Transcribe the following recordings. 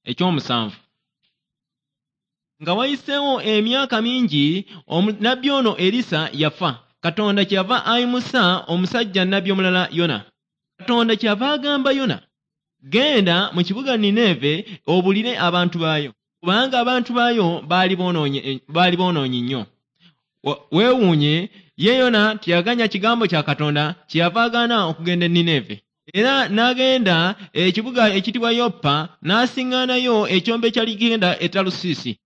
Ekyomusanvu, nga wayiseewo emyaka mingi, nabbi ono Erisa yafa. Katonda kyeyava ayimusa omusajja nnabbi omulala Yona. Katonda kyeyava agamba Yona, genda mu kibuga Nineeve obulire abantu baayo, kubanga abantu baayo baali boonoonyi nnyo. Weewuunye, ye Yona teyaganya kigambo kya Katonda, kyeyava agaana okugenda e Nineeve. Era n'agenda ekibuga ekiyitibwa Yopa, n'asiŋŋaanayo ekyombo ekyali kigenda e Talusiisi.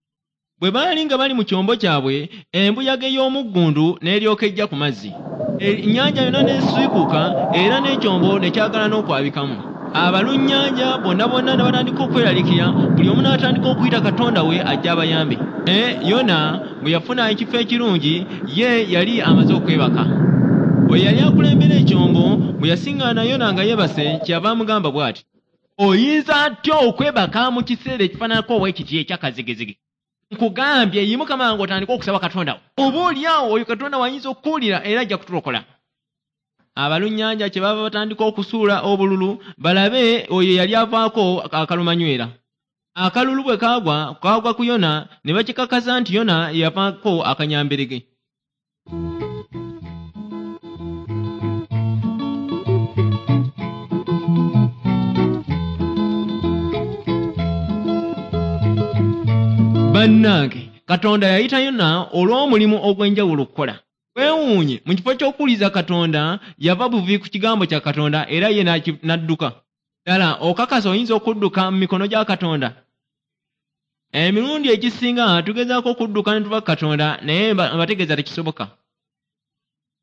Bwe baali nga bali mu kyombo kyabwe, embuyaga ey'omuggundu n'eryoka ejja ku mazzi. Ennyanja yonna n'esiikuuka, era n'ekyombo ne kyagala n'okwabikamu. Abalunnyanja bonna bonna ne batandika okweraliikirira, buli omu n'atandika okuyita katonda we ajje abayambe. Naye Yona bwe yafuna ekifo ekirungi, ye yali amaze okwebaka. Oyo yali akulembera ekyombo bwe yasiŋŋaana Yona nga yeebase, kyeyava amugamba bw'ati, Oyinza atya okwebaka mu kiseera ekifaananako bwe kiti eky'akazigizigi? Nkugambye, yimuka mangu otandike okusaba Katonda wo. Oba oli awo oyo Katonda w'ayinza okukuwulira era ajja kutulokola. Abalunnyanja kye baava batandika okusuula obululu balabe oyo eyali avaako akalumanywera. Akalulu bwe kaagwa, kaagwa ku Yona ne bakikakasa nti Yona ye yavaako akanyamberege. Bannange, Katonda yayita Yona olw'omulimu ogw'enjawulo okukola. Weewuunye, mu kifo ky'okuwuliriza Katonda, yava buvi ku kigambo kya Katonda era ye n'adduka. Ddala okakasa oyinza okudduka mu mikono gya Katonda? Emirundi egisinga tugezaako okudduka ne tuva ku Katonda, naye mbategeeza tekisoboka.